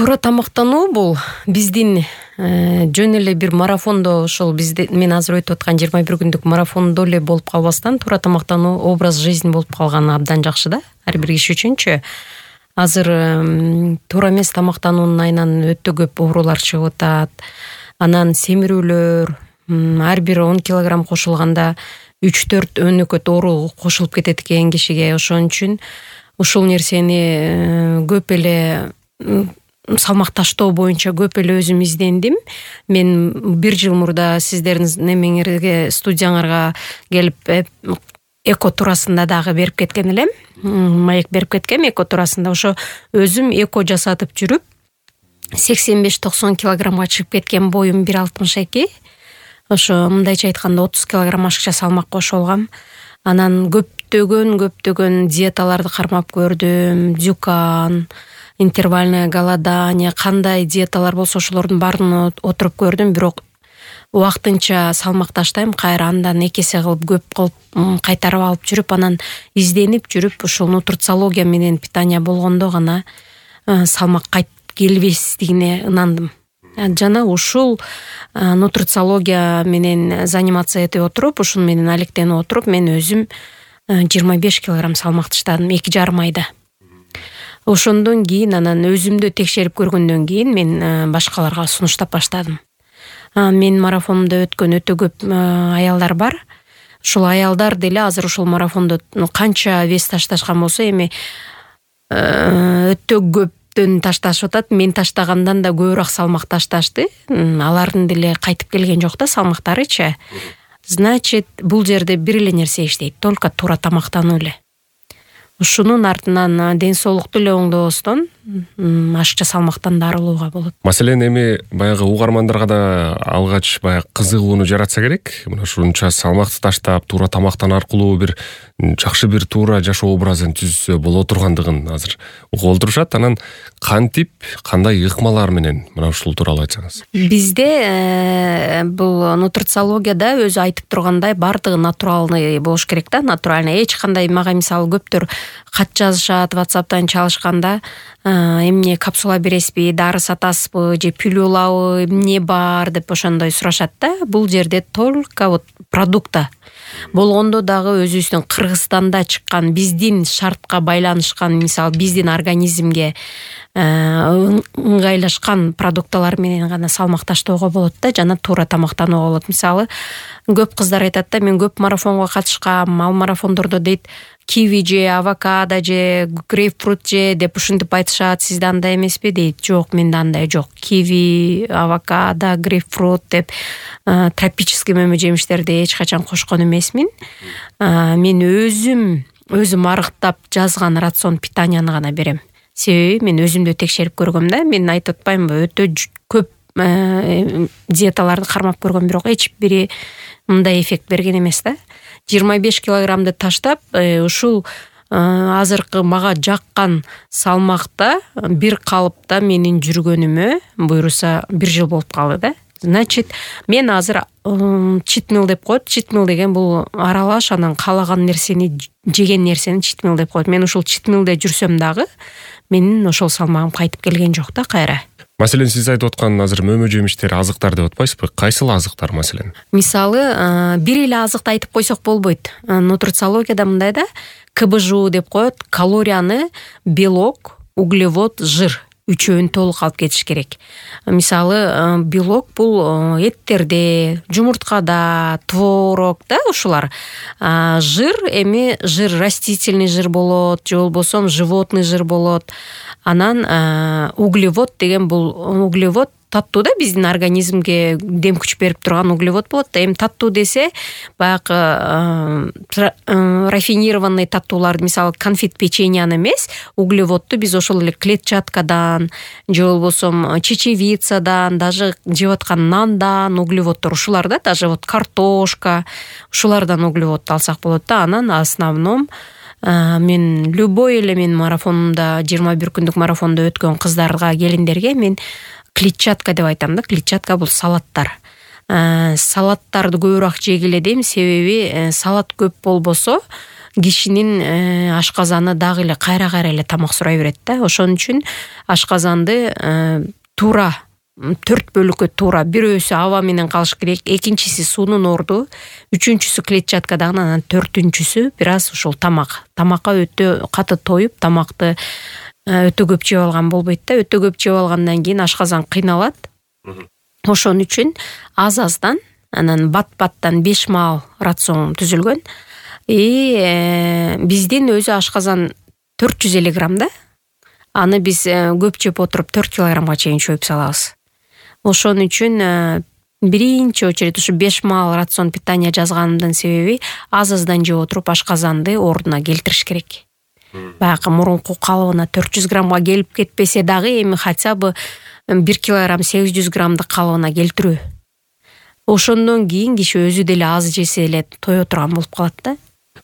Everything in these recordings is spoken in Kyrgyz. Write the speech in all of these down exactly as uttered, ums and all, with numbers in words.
Туура тамактануу бул биздин жөн эле бир марафондо, ошол бизде мен азыр өтүп аткан жыйырма бир күндүк марафондо эле болуп калбастан, туура тамактануу образ жизни болуп калганы абдан жакшы да, ар бир киши үчүнчү. Азыр туура эмес тамактануунун айынан өтө көп оорулар чыгып атат. Анан семирүүлөр, ар бир он килограмм кошулганда үч төрт өнөкөт оору кошулуп кетет экен кишиге. Ошон үчүн ушул нерсени көп эле салмак таштоо боюнча көп эле өзүм издендим. Мен бир жыл мурда сиздердин немеңерге, студияңарга келип эко туурасында дагы берип кеткен элем. Маек берип кеткем эко туурасында. Ошо өзүм эко жасатып жүрүп сексен беш токсон килограммга чыгып кеткен, боюм бир алтымыш эки. Ошо мындайча айтканда отуз килограмм ашыкча салмак кошуп алгам. Анан көптөгөн көптөгөн диеталарды кармап көрдүм. Дюкан, интервальное голодание, кандай диеталар болсо ошолордун баарын отуруп көрдүм, бирок убактынча салмак таштайм, кайра андан эки эсе кылып көп кылып кайтарып алып жүрүп, анан изденип жүрүп, ушул нутрициология менен питание болгондо гана салмак кайтып келбестигине ынандым. Жана ушул нутрициология менен заниматься этип отуруп, ушун менен алектенип отуруп, мен өзүм жыйырма беш килограмм салмак таштадым эки жарым айда. Ошондон кийин анан өзүмдү текшерип көргөндөн кийин мен башкаларга сунуштап баштадым. Мен марафонумда өткөн өтө көп аялдар бар. Ушул аялдар деле азыр ушул марафондо канча вес ташташкан болсо, эми өтө көптөн ташташып атат. Мен таштагандан да көбүрөөк салмак ташташты. Алардын деле кайтып келген жок да салмактарычы. Значит, бул жерде бир эле нерсе иштейт, только туура тамактануу эле. Ушунун артынан ден соолукту эле оңдобостон ашыкча салмактан да арылууга болот. Маселен, эми баягы угармандарга да алгач баягы кызыгууну жаратса керек. Мына ушунча салмакты таштап, туура тамактан аркылуу бир жакшы бир туура жашоо образын түзсө боло тургандыгын азыр угуп отурушат. Анан кантип, кандай ыкмалар менен мына ушул тууралуу айтсаңыз. Бизде бул нутрициологияда өзү айтып тургандай бардыгы натуралный болуш керек да, натуральный. Эч кандай, мага мисалы көптөр кат жазышат, WhatsApp'тан чалышканда, эмне капсула бересизби, дары сатасызбы, же пилюлабы, эмне бар деп ошондой сурашат да. Бул жерде только вот продукта болгондо дагы өзүбүздүн Кыргызстанда чыккан, биздин шартка байланышкан, мисалы биздин организмге ыңгайлашкан продукталар менен гана салмак таштоого болот да, жана туура тамактанууга болот. Мисалы көп кыздар айтат да, мен көп марафонго катышкам, ал марафондордо дейт киви же, авокадо же, грейпфрут же деп ушинтип айтышат. Сизде андай эмеспи дейт. Жок, менде андай жок. Киви, авокадо, грейпфрут деп тропический мөмө жемиштерди эч качан кошкон эмесмин. Мен өзүм өзүм арыктап жазган рацион питанияны гана берем. Себеби мен өзүмдү текшерип көргөм да. Мен айтып атпаймынбы, өтө көп диеталарды кармап көргөм, бирок эч бири мындай эффект берген эмес да. жыйырма беш килограммды таштап, ушул азыркы мага жаккан салмакта бир калыпта менин жүргөнүмө буйруса бир жыл болуп калды да. Значит, мен азыр читмил деп коет. Читмил деген бул аралаш, анан каалаган нерсени, жеген нерсени читмил деп коет. Мен ушул читмилде жүрсөм дагы менин ошол салмагым кайтып келген жок да кайра. Маселен, сиз айтып аткан азыр мөмө жемиштер, азыктар деп атпайсызбы? Кайсыл азыктар маселен? Мисалы, бир эле азыкты айтып койсок болбойт. Нутрициологияда мындай да, ка бэ жэ у деп коет. Калорияны белок, углевод, жир үчөөнү толук алып кетиш керек. Мисалы, белок бул эттерде, жумурткада, творог да, ушулар. Жир эми жир растительный жир болот, же болбосо животный жир болот. Анан углевод деген бул углевод таттуу да, биздин организмге дем күч берип турган углевод болот да. Эми таттуу десе, баягы рафинированный таттууларды, мисалы конфет, печеньяны эмес, углеводду биз ошол эле клетчаткадан, же болбосо чечевицадан, даже жеп аткан нандан углеводдор ушулар да, даже вот картошка, ушулардан углевод алсак болот да. Анан основном мен любой эле мен марафонумда, жыйырма бир күндүк марафондо өткөн кыздарга, келиндерге мен клетчатка деп айтам да. Клетчатка бул салаттар. Салаттарды көбүрөөк жегиле дейм, себеби салат көп болбосо кишинин ашказаны дагы эле кайра кайра эле тамак сурай берет да. Ошон үчүн ашказанды туура төрт бөлүккө туура, бирөөсү аба менен калыш керек, экинчиси суунун орду, үчүнчүсү клетчаткадан, анан төртүнчүсү бир аз ушул тамак. Тамакка өтө каты тоюп, тамакты өтө көп жеп алган болбойт да. Өтө көп жеп алгандан кийин ашказан кыйналат. Ошон үчүн аз-аздан, анан бат-баттан беш маал рацион түзүлгөн. И биздин өзү ашказан төрт жүз элүү грамм да. Аны биз көп жеп отуруп төрт килограммга чейин чөйүп салабыз. Ошон үчүн биринчи очередь ушу беш маал рацион питания жазганымдын себеби аз-аздан жеп отуруп ашказанды ордуна келтириш керек. Баягы мурунку калыбына төрт жүз граммга келип кетпесе дагы эми хотя бы бир килограмм сегиз жүз граммдык калыбына келтирүү. Ошондон кийин киши өзү деле аз жесе эле тое турган болуп калат да.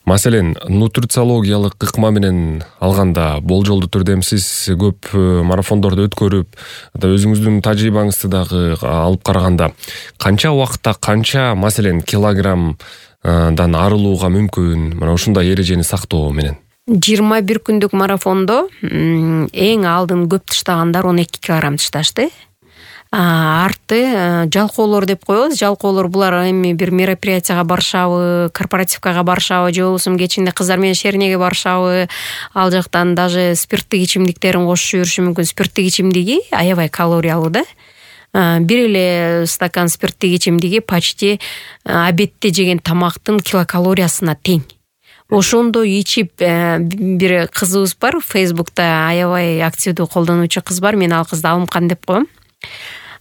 Маселен, нутрициологиялык ыкма менен алганда болжолдуу түрдө сиз көп марафондорду өткөрүп, өзүңүздүн тажрыйбаңызды дагы алып караганда, канча убакытта канча, маселен, килограммдан арылууга мүмкүн, мына ушундай эрежени сактоо менен? жыйырма бир күндүк марафондо эң алдын көп таштагандар он эки килограмм ташташты. Арты жалкоолор деп коебуз. Жалкоолор булар эми бир мероприятияга барышабы, корпоративкага барышабы, же болбосо кечинде кыздар менен шернеге барышабы, ал жактан даже спирттик ичимдиктерин кошуп жүрүшү мүмкүн. Спирттик ичимдиги аябай калориялуу да. Бир эле стакан спирттик ичимдиги почти обедте жеген тамактын килокалориясына тең. Ошондо ичип бир кызыбыз бар, Фейсбукта аябай активдүү колдонуучу кыз бар. Мен ал кызды Алымкан деп коем.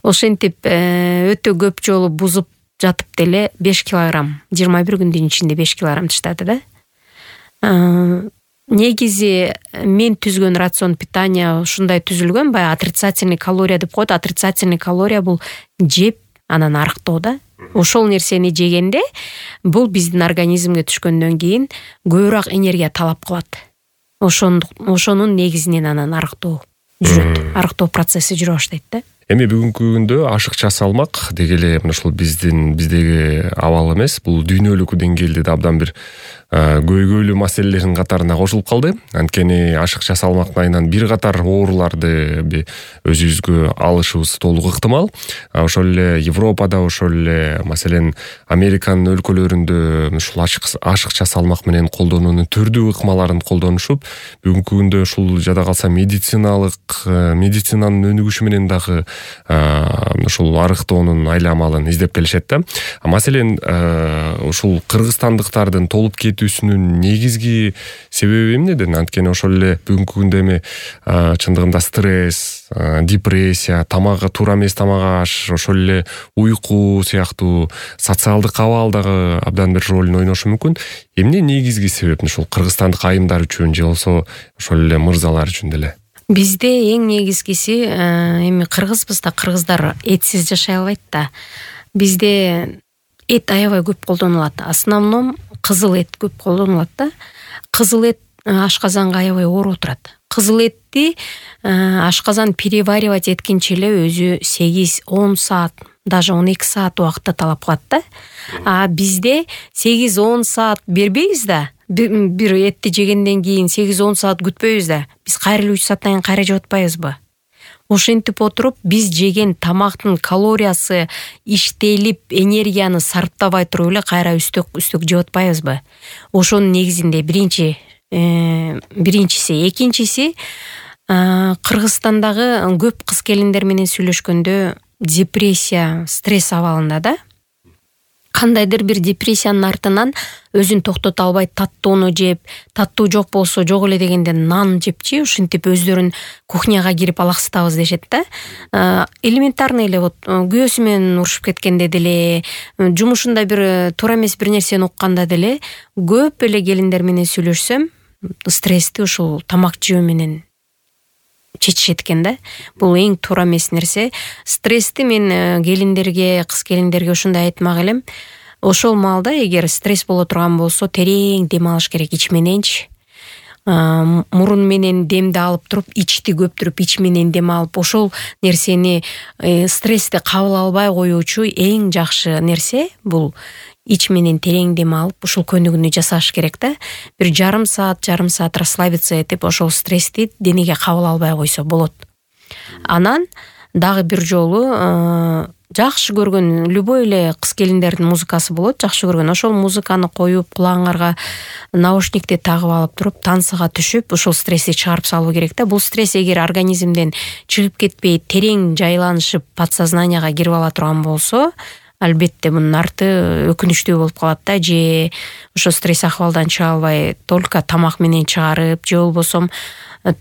Ошентип өтө көп жолу бузуп жатып деле беш килограмм, жыйырма бир күндүн ичинде беш килограмм таштады да. Негизи мен түзгөн рацион питания ушундай түзүлгөн, баягы отрицательный калория деп коет. Отрицательный калория бул жеп, анан арыктоо да. Ошол нерсени жегенде бул биздин организмге түшкөндөн кийин көбүрөөк энергия талап кылат. Ошонун негизинен анан арыктоо жүрөт. Арыктоо процесси жүрө баштайт да. Эми бүгүнкү күндө ашыкча салмак деги эле мына ушул биздин биздеги абал эмес, бул дүйнөлүк деңгээлде да абдан бир көйгөйлүү маселелердин катарына кошулуп калды. Анткени ашыкча салмактын айынан бир катар ооруларды өзүбүзгө алышыбыз толук ыктымал. Ошол эле Европада, ошол эле маселен Американын өлкөлөрүндө ушул ашыкча салмак менен колдонуунун түрдүү ыкмаларын колдонушуп, бүгүнкү күндө ушул жада калса медициналык медицинанын өнүгүшү менен дагы ушул арыктоонун айла амалын издеп келишет да. Маселен, ушул кыргызстандыктардын толуп кетүүсүнүн негизги себеби эмнеден? Анткени ошол эле бүгүнкү күндө эми чындыгында стресс, депрессия, тамагы туура эмес тамак аш, ошол эле уйку сыяктуу социалдык абал дагы абдан бир ролун ойношу мүмкүн. Эмне негизги себеп ушул кыргызстандык айымдар үчүн же болсо ошол эле мырзалар үчүн деле? Бизде эң негизгиси, эми кыргызбыз да, кыргыздар этсиз жашай албайт да. Бизде эт аябай көп колдонулат. Основном кызыл эт көп колдонулат да. Кызыл эт ашказанга аябай оор отурат. Кызыл этти ашказан переваривать эткенче эле өзү сегиз он саат, даже он эки саат убакытты талап кылат да. А бизде сегиз он саат бербейбиз да. Бир этти жегенден кийин сегиз он саат күтпөйбүз да. Биз кайра эле үч сааттан кийин кайра жеп атпайбызбы? Ошентип отуруп, биз жеген тамактын калориясы иштелип, энергияны сарптабай туруп эле кайра үстөк үстөк жеп атпайбызбы? Ошонун негизинде биринчи биринчиси, экинчиси, Кыргызстандагы көп кыз келиндер менен сүйлөшкөндө депрессия, стресс абалында да. Кандайдыр бир депрессиянын артынан өзүн токтото албай таттууну жеп, таттуу жок болсо жок эле дегенде нан жепчи, ушинтип өздөрүн кухняга кирип алаксытабыз дешет да. Элементарный эле вот күйөөсү менен урушуп кеткенде деле, жумушунда бир туура эмес бир нерсени укканда деле көп эле келиндер менен сүйлөшсөм, стрессти ушул тамак жөө менен чечишет экен да. Бул эң туура эмес нерсе. Стрессти мен келиндерге, кыз келиндерге ушундай айтмак элем. Ошол маалда эгер стресс боло турган болсо, терең дем алыш керек ич мененчи. мурун менен демди алып туруп ичти көптүрүп ич менен дем алып ошол нерсени стрессти кабыл албай коюучу эң жакшы нерсе бул ич менен терең дем алып ушул көнүгүүнү жасаш керек да. Бир жарым саат жарым саат расслабиться этип ошол стрессти денеге кабыл албай койсо болот. Анан дагы бир жолу жакшы көргөн любой эле кыз келиндердин музыкасы болот, жакшы көргөн ошол музыканы коюп кулагыңарга наушникти тагып алып туруп тансыга түшүп ошол стрессти чыгарып салуу керек да. Бул стресс эгер организмден чыгып кетпей терең жайланышып подсознанияга кирип ала турган болсо, албетте мунун арты өкүнүчтүү болуп калат да. Же ошо стресс акыбалдан чыга албай только тамак менен чыгарып, же болбосо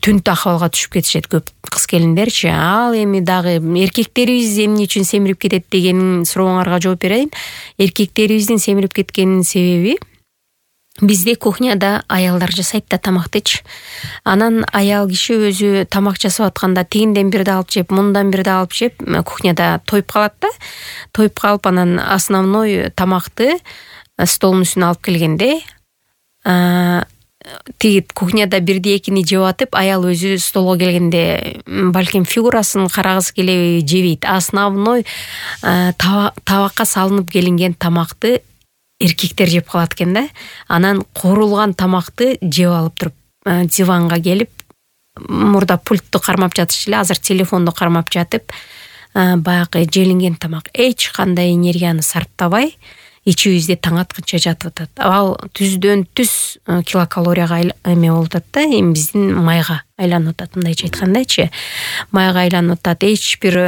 түнт акыбалга түшүп кетишет көп кыз келиндерчи. Ал эми дагы эркектерибиз эмне үчүн семирип кетет деген сурооңарга жооп берейин. Эркектерибиздин семирип кеткенинин себеби бизде кухняда аялдар жасайт да тамактычы. Анан аял киши өзү тамак жасап атканда тигинден бирди алып жеп, мындан бирди алып жеп, кухняда тоюп калат да. Тоюп калып анан основной тамакты столдун үстүнө алып келгенде тиги кухняда бирди экини жеп атып, аял өзү столго келгенде балким фигурасын карагысы келеби, жебейт. Основной табакка салынып келинген тамакты эркектер жеп калат экен да. Анан корулган тамакты жеп алып туруп диванга келип, мурда пультту кармап жатышчу эле, азыр телефонду кармап жатып, баягы желинген тамак эч кандай энергияны сарптабай ичибизде таң атканча жатып атат. Ал түздөн түз килокалорияга эме болуп атат да, эми биздин майга айланып атат, мындайча айткандачы. Майга айланып атат. Эч бир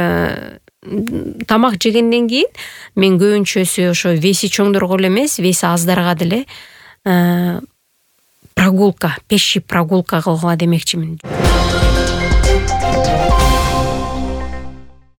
тамак жегенден кийин мен көбүнчөсү ошо веси чоңдорго эле эмес, веси аздарга деле прогулка, пеший прогулка кылгыла демекчимин.